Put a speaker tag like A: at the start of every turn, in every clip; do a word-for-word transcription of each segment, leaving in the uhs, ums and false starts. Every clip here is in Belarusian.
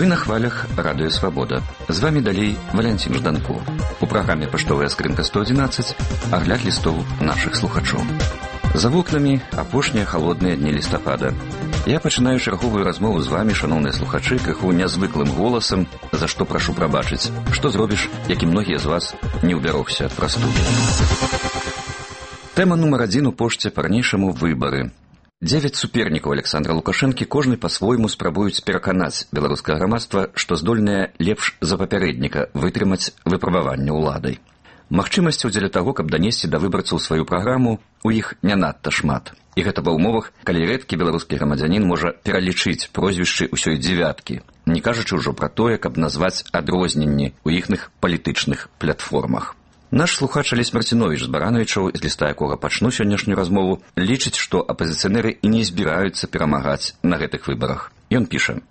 A: Вы на хвалях Радыё Свабода. З вами далей Валянцін Жданко. У праграме «Паштовая скрынка сто адзінаццаць» агляд лістоў нашых слухачоў. За вокнамі апошнія халодныя дні лістапада. Я пачынаю чарговую размову з вами, шаноўныя слухачы, крыху нязвыклым голасам, за што прашу прабачыць. Што зробіш, як і многія з вас не ўбярогся ад прастуды. Тэма нумар адзін у пошце па-ранейшаму выбары. Дзевяць супернікаў Александра Лукашэнкі кожны па-свойму спрабуюць пераканаць беларускае грамадства, што здольнае лепш за папярэдніка вытрымаць выпрабаванне ўладай. Магчымасцяў дзеля таго, каб данесці да выбарцаў сваю праграму, у іх не надта шмат. І гэта ва ўмовах, калі рэдкі беларускі грамадзянін можа пералічыць прозвішчы ўсёй дзевяткі, не кажучы ўжо пра тое, каб назваць адрозненні ў іхных палітычных платформах. Наш слухач Алесь Марціновіч з Барановічаў, з ліста якога пачну сённяшнюю размову, лічыць, што апазіцыянеры і не збіраюцца перамагаць на гэтых выбарах. Ён піша: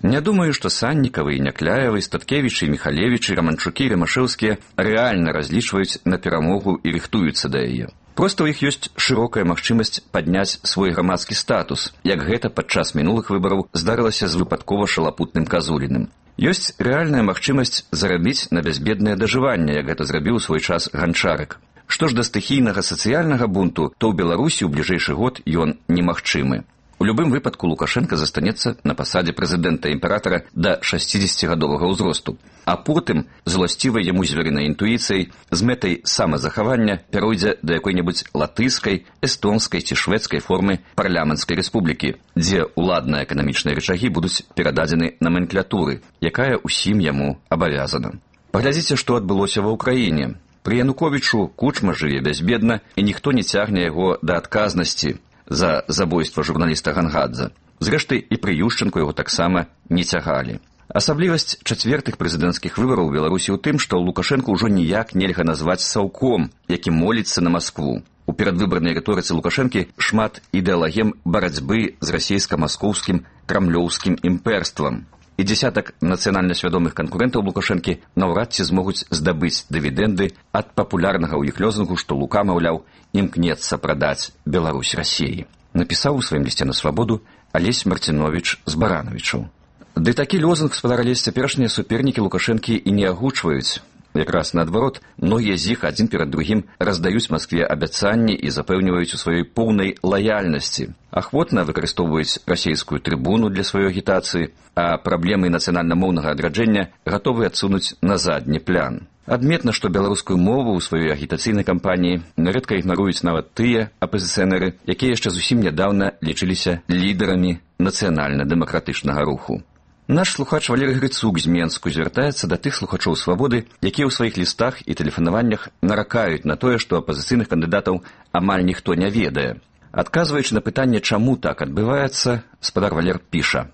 A: «Не думаю, што Саннікавы і Някляевы, Статкевічы, Міхалевічы, Раманчукі, Рымашэўскія рэальна разлічваюць на перамогу і рыхтуюцца да яе. Проста ў іх ёсць шырокая магчымасць падняць свой грамадскі статус, як гэта падчас мінулых выбараў здарылася з выпадкова шалапутным Казуліным. Ёсць рэальная магчымасць зарабіць на бязбеднае дажыванне, як гэта зрабіў у свой час Ганчарык. Што ж да стыхійнага сацыяльнага бунту, то ў Беларусі ў бліжэйшы год ён немагчымы. У любым выпадку Лукашенко застанецца на пасадзе прэзідэнта імператара да шасцідзесяцігадовага ўзросту, а потым, зласцівай яму звярынай інтуіцыяй, з мэтай самазахавання пяройдзе да якой-небудзь латыскай, эстонскай ці шведскай формы парламенцкай рэспублікі, дзе ўладныя эканамічныя рычагі будуць перададзены наменклятуры, якая ўсім яму абавязана. Паглядзіце, што адбылося ва ўкраіне. Пры Януковічу Кучма жыве бязбедна, і ніхто не цягне яго да адказнасці за забойства журналіста Гангадзе. Зрэшты, і пры Ющенку яго таксама не цягалі. Асаблівасць чацвертых прэзідэнцкіх выбараў у Беларусі ў тым, што Лукашэнку ўжо ніяк нельга назваць саўком, які моліцца на Маскву. У перадвыбарнай рыторыцы Лукашэнкі шмат ідэалагем барацьбы з расійска-маскоўскім крамлёўскім імперствам. І дзесятак нацыянальна свядомых канкурэнтаў Лукашэнкі наўрад ці змогуць здабыць дывідэнды ад папулярнага ў іх лозунгу, што Лука, маўляў, імкнецца прадаць Беларусь Расіі. Напісаў у сваім лісце на Свабоду Алесь Марціновіч з Барановічаў. Ды такі лозунг, спадар Алесь, цяперашнія супернікі Лукашэнкі і не агучваюць. Якраз наадварот, многія з іх адзін перад другім раздаюць Маскве абяцанні і запэўніваюць у сваёй поўнай лаяльнасці. Ахвотна выкарыстоўваюць расійскую трыбуну для сваёй агітацыі, а праблемы нацыянальна-моўнага адраджэння гатовы адсунуць на задні план. Адметна, што беларускую мову ў сваёй агітацыйнай кампаніі нярэдка ігнаруюць нават тыя апазіцыянеры, якія яшчэ зусім нядаўна лічыліся лідарамі нацыянальна-дэмакратычнага руху. Наш слухач Валерый Грыцук з Менску звяртаецца да тых слухачоў Свабоды, якія ў сваіх лістах і тэлефанаваннях наракаюць на тое, што апазіцыйных кандыдатаў амаль ніхто не ведае. Адказваючы на пытанне, чаму так адбываецца, спадар Валер піша: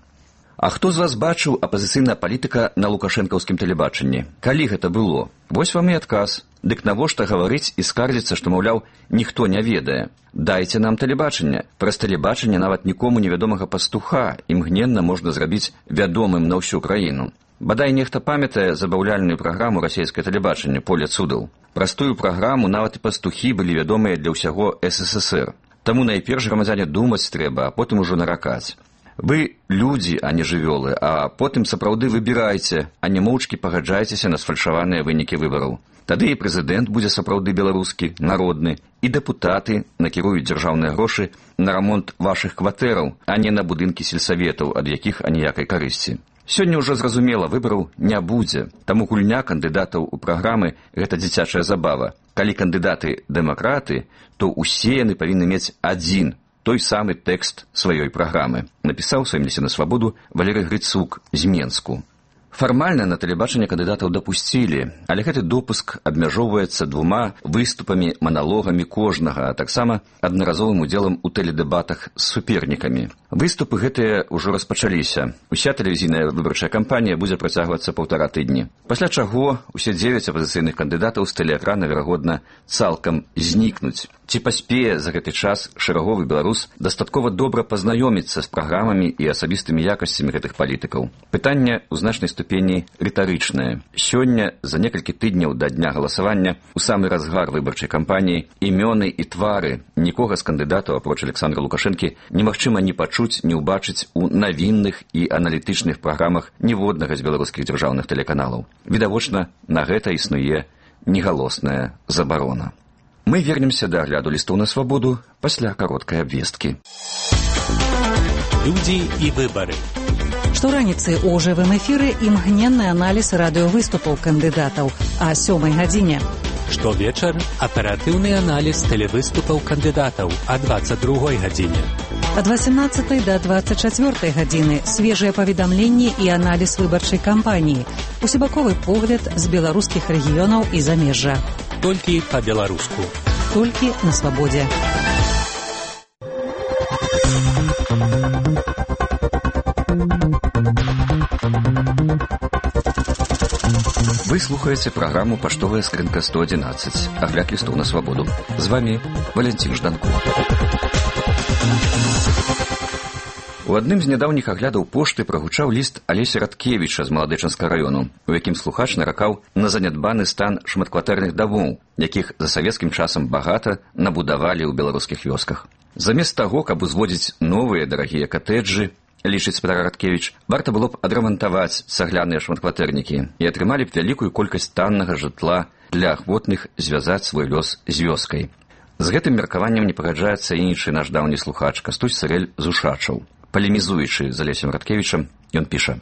A: «А хто з вас бачыў апазіцыйная палітыка на лукашэнкаўскім тэлебачанні? Калі гэта было? Вось вам і адказ. Дык навошта гаварыць і скардзіцца, што, маўляў, ніхто не ведае? Дайце нам тэлебачанне. Праз тэлебачанне нават нікому невядомага пастуха імгненна можна зрабіць вядомым на ўсю краіну. Бадай нехта памятае забаўляльную праграму расійскае тэлебачанне «Поле цудаў». Праз тую праграму нават і пастухі былі вядомыя для ўсяго эс эс эс эр. Таму найперш грамадзяне думаць трэба, а потым ужо наракаць. Вы людзі, а не жывёлы, а потым сапраўды выбірайце, а не моўчкі пагаджайцеся на сфальшаваныя вынікі выбараў. Тады і прэзідэнт будзе сапраўды беларускі, народны, і дэпутаты накіруюць дзяржаўныя грошы на рамонт вашых кватэраў, а не на будынкі сельсаветаў, ад якіх аніякай карысці. Сёння ўжо зразумела, выбараў не будзе, таму гульня кандыдатаў у праграмы – гэта дзіцячая забава. Калі кандыдаты дэмакраты, то ўсе яны павінны мець адзін той самы тэкст сваёй праграмы, напісаў у сваім лісце на Свабоду Валерый Грыцук з Менску. Фармальна на тэлебачанне кандыдатаў дапусцілі, але гэты допуск абмяжоўваецца двума выступамі, маналогамі кожнага, а таксама аднаразовым удзелам у тэледэбатах з супернікамі. Выступы гэтыя ўжо распачаліся. Уся тэлевізійная выбарчая кампанія будзе працягвацца паўтара тыдні. Пасля чаго усе дзевяць апазіцыйных кандыдатаў з тэлеэкрана, верагодна, цалкам знікнуць. Ці паспее за гэты час шэраговы беларус дастаткова добра пазнаёміцца з праграмамі і асабістымі якасцямі гэтых палітыкаў? Пытанне ў значнай ступені рытарычнае. Сёння, за некалькі тыдняў да дня галасавання, у самы разгар выбарчай кампаніі, імёны і твары нікога з кандыдатаў, апроч Александра Лукашэнкі, немагчыма ні пачуць, ні ўбачыць у навінных і аналітычных праграмах ніводнага з беларускіх дзяржаўных тэлеканалаў. Відавочна, на гэта існуе негалосная забарона. Мы вернемся да агляду лістоў на свабоду пасля кароткай абвесткі.
B: Людзі і выбары.
C: Штораніцы у жывым эфіры імгненны аналіз радыёвыступаў кандыдатаў а сёмай гадзіне.
B: Штовечар аператыўны аналіз тэлевыступаў кандыдатаў а дваццаць другой гадзіне.
C: Ад васемнаццатай да дваццаць чацвёртай гадзіны свежыя паведамленні і аналіз выбарчай кампаніі. Усебаковы погляд з беларускіх рэгіёнаў і замежжа.
B: Толькі па-беларуску.
C: Толькі на свабодзе.
A: Вы слухаеце праграму «Паштовая скрынка сто адзінаццаць». Агляд лістоў на свабоду. З вами Валентин Жданков. У адным з нядаўніх аглядаў пошты прагучаў ліст Алеся Радкевіча з Маладэчанскага раёну, у якім слухач наракаў на занядбаны стан шматкватэрных дамоў, якіх за савецкім часам багата набудавалі ў беларускіх вёсках. Замест таго, каб узводзіць новыя дарагія катэджы, лічыць спадар Радкевіч, варта было б адрамантаваць цагляныя шматкватэрнікі і атрымалі б вялікую колькасць таннага жытла для ахвотных звязаць свой лёс з вёскай. З гэтым меркаваннем не пагаджаецца іншы наш даўні слухач Кастусь Сырэль з Ушачаў. Палемізуючы з Алесем Радкевічам, ён піша: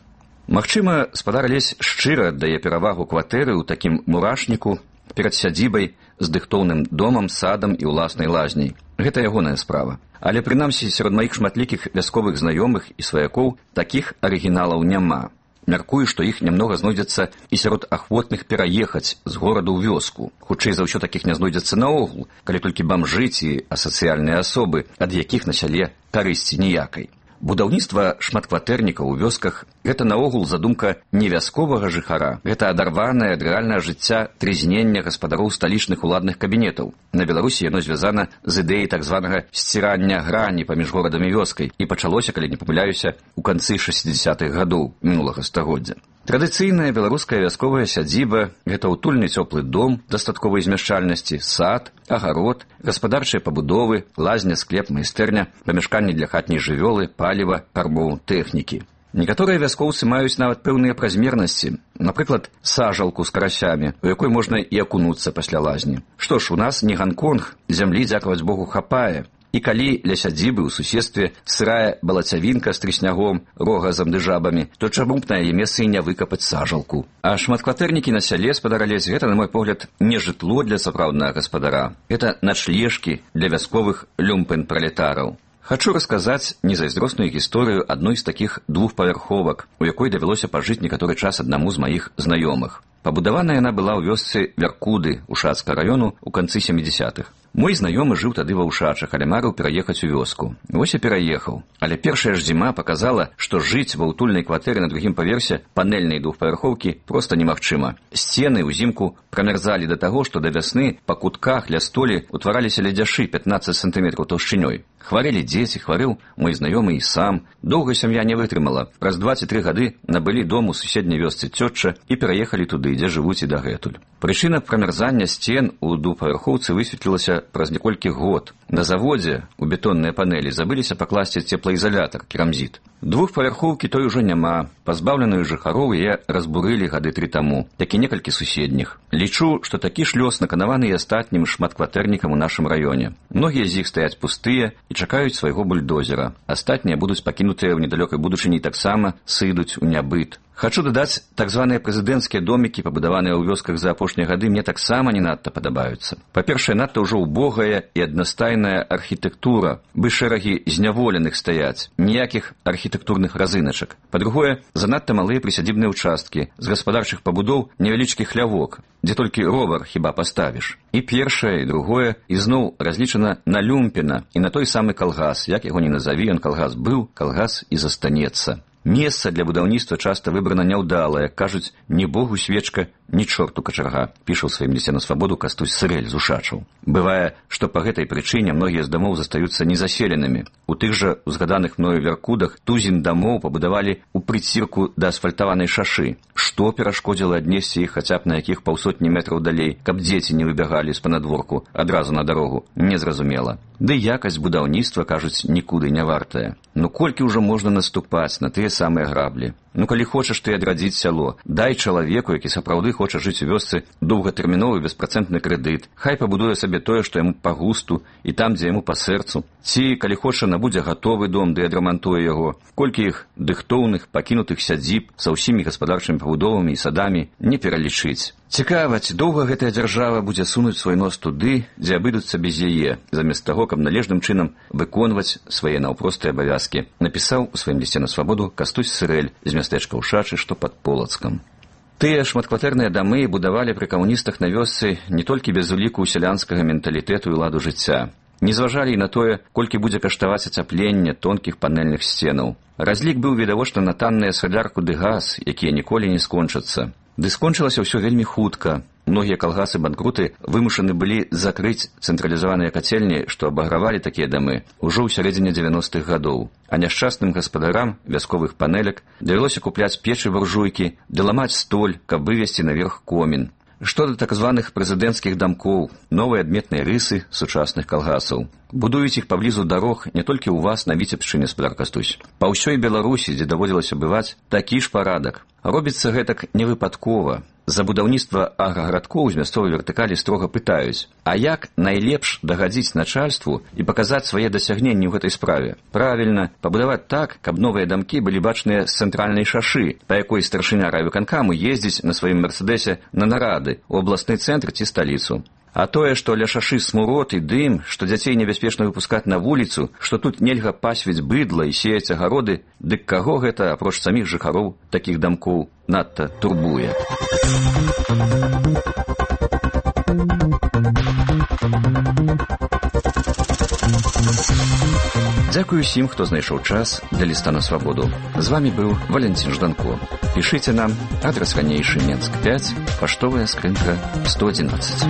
A: «Магчыма, спадар Алесь шчыра аддае перавагу кватэры ў такім мурашніку перад сядзібай з дыхтоўным домам, садам і ўласнай лазняй. Гэта ягоная справа. Але прынамсі сярод маіх шматлікіх вясковых знаёмых і сваякоў такіх арыгіналаў няма. Мяркую, што іх нямнога знойдзецца і сярод ахвотных пераехаць з гораду ў вёску. Хутчэй за ўсё такіх не знойдзецца наогул, калі толькі бамжы ці асацыяльныя асобы, ад якіх на сяле карысці ніякай. Будаўніцтва шматкватэрнікаў у вёсках – гэта наогул задумка не вясковага жыхара, гэта адарванае ад рэальнага жыцця трызнення гаспадароў сталічных уладных кабінетаў. На Беларусі яно звязана з ідэяй так званага сцірання грані паміж горадам і вёскай і пачалося, калі не памыляюся, у канцы шэсцідзесятых гадоў мінулага стагоддзя. Традыцыйная беларуская вясковая сядзіба – гэта утульны цёплы дом дастатковай змяшчальнасці, сад, агарод, гаспадарчыя пабудовы, лазня, склеп, майстэрня, памяшканні для хатняй жывёлы, паліва, карбоў, тэхнікі. Некаторыя вяскоўцы маюць нават пэўныя празмернасці, напрыклад, сажалку з карасямі, у якой можна і акунуцца пасля лазні. Што ж, у нас не Ганконг, зямлі, дзякаваць Богу, хапае. І калі ля сядзібы ў суседстве сырая балацявінка з трыснягом, рогазам ды жабамі, то чаму б на яе месцы і не выкапаць сажалку? А шматкватэрнікі на сяле, спадар Алесь, гэта, на мой погляд, не жытло для сапраўднага гаспадара. Гэта начлежкі для вясковых люмпэн-пралетараў. Хачу расказаць незайздросную гісторыю адной з такіх двухпавярховак, у якой давялося пажыць некаторы час аднаму з маіх знаёмых. Пабудавана яна была ў вёсцы Вяркуды Ушацкага раёну ў канцы сямідзесятых. Мой знаёмы жыў тады ва Ушачах, але марыў пераехаць у вёску. Вось і пераехаў. Але першая ж зіма паказала, што жыць ва ўтульнай кватэры на другім паверсе панельнай двухпавярхоўкі проста немагчыма. Сцены ўзімку прамярзалі да таго, што да вясны па кутках ля столі утвараліся ледзяшы пятнаццаць сантыметраў таўшчынёй. Хварэлі дзеці, хварэў мой знаёмы і сам. Доўга сям'я не вытрымала. Праз дваццаць тры гады набылі дом у суседняй вёсцы цётча і пераехалі туды, дзе жывуць і дагэтуль. Прычына прамярзання сцен у двухпавярхоўцы высветлілася праз неколькі год. На заводзе у бетонныя панелі забыліся пакласці цеплаізалятар, керамзіт. Двухпавярхоўкі той ужо няма. Пазбаўленую жыхароў яе разбурылі гады тры таму, як і некалькі суседніх. Лічу, што такі ж лёс наканаваны і астатнім шматкватэрнікам у нашым раёне. Многія з іх стаяць пустыя і чакаюць свайго бульдозера. Астатнія будуць пакінутыя ў недалёкай будучыні таксама сыдуць у нябыт. Хачу дадаць, так званыя прэзідэнцкія домікі, пабудаваныя ў вёсках за апошнія гады, мне таксама не надта падабаюцца. Па-першае, надта ўжо ўбогая і аднастайная архітэктура, бы шэрагі зняволеных стаяць, ніякіх архітэктурных разыначак. Па-другое, занадта малыя прысядзібныя ўчасткі, з гаспадарчых пабудоў невялічкі хлявок, дзе толькі ровар хіба паставіш. І першае, і другое, ізноў разлічана на люмпена і на той самы калгас, як яго не назаві, ён калгас быў, калгас і застанецца. Месца для будаўніцтва часта выбрана няўдалае, кажуць, ні богу свечка, ні чорту качарга, піша ў сваім лісце на свабоду Кастусь Сырэль з Ушачаў. Бывае, што па гэтай прычыне многія з дамоў застаюцца незаселенымі. У тых жа узгаданых мною Вяркудах тузін дамоў пабудавалі ў прыцірку да асфальтаванай шашы. Што перашкодзіла аднесці іх хаця б на якіх паўсотні метраў далей, каб дзеці не выбягалі з панадворку адразу на дарогу, незразумела. Ды якасць будаўніцтва, кажуць, нікуды не вартая. Ну колькі ўжо можна наступаць на тыя самыя граблі? Ну калі хочаш ты адрадзіць сяло, дай чалавеку, які сапраўды хоча жыць у вёсцы, доўгатэрміновы беспрацэнтны крэдыт. Хай пабудуе сабе тое, што яму па густу і там, дзе яму па сэрцу. Ці, калі хоча, набудзе гатовы дом, ды адрамантуе яго. Колькі іх дыхтоўных, пакінутых сядзіб са ўсімі гаспадарчымі пабудовамі і садамі не пералічыць. Цікава, ці доўга гэтая дзяржава будзе сунуць свой нос туды, дзе абыдуцца без яе, замест таго, каб належным чынам выконваць свае наўпростыя абавязкі, напісаў у сваім лісце на свабоду Кастусь Сырэль з мястэчка Ушачы, што пад Полацкам. Тыя шматкватэрныя дамы будавалі пры камуністах на вёсцы не толькі без уліку сялянскага менталітэту і ладу жыцця. Не зважалі і на тое, колькі будзе каштаваць ацяпленне тонкіх панэльных сценаў. Разлік быў відавочна на танныя салярку ды газ, якія ніколі не скончацца. Ды скончылася ўсё вельмі хутка. Многія калгасы-банкруты вымушаны былі закрыць цэнтралізаваныя кацельні, што абагравалі такія дамы ўжо ў сярэдзіне дзевяностых гадоў. А няшчасным гаспадарам вясковых панелек давялося купляць печы буржуйкі ды ламаць столь, каб вывесці наверх комін. Што да так званых прэзідэнцкіх дамкоў, новыя адметныя рысы сучасных калгасаў. Будуюць іх паблізу дарог не толькі ў вас на Віцебшчыне, спадар Кастусь. Па ўсёй Беларусі, дзе даводзілася бываць, такі ж парадак. Робіцца гэтак невыпадкова. За будаўніцтва аграгарадкоў з мясцовай вертыкалі строга пытаюць, а як найлепш дагадзіць начальству і паказаць свае дасягненні ў гэтай справе? Правільна, пабудаваць так, каб новыя дамкі былі бачныя з цэнтральнай шашы, па якой старшыня райвыканкаму ездзіць на сваім мерседесе на нарады ў абласны цэнтр ці сталіцу. А тое, што ля шашы смурод і дым, што дзяцей небяспечна выпускаць на вуліцу, што тут нельга пасвіць быдла і сеяць агароды, дык каго гэта, апроч саміх жыхароў такіх дамкоў, надта турбуе? Дзякую усім, хто знайшоў час для ліста на свабоду. З вамі быў Валентин Жданко. Пішыце нам, адрас ранейшы Менск пяць, паштовая скрынка сто адзінаццаць.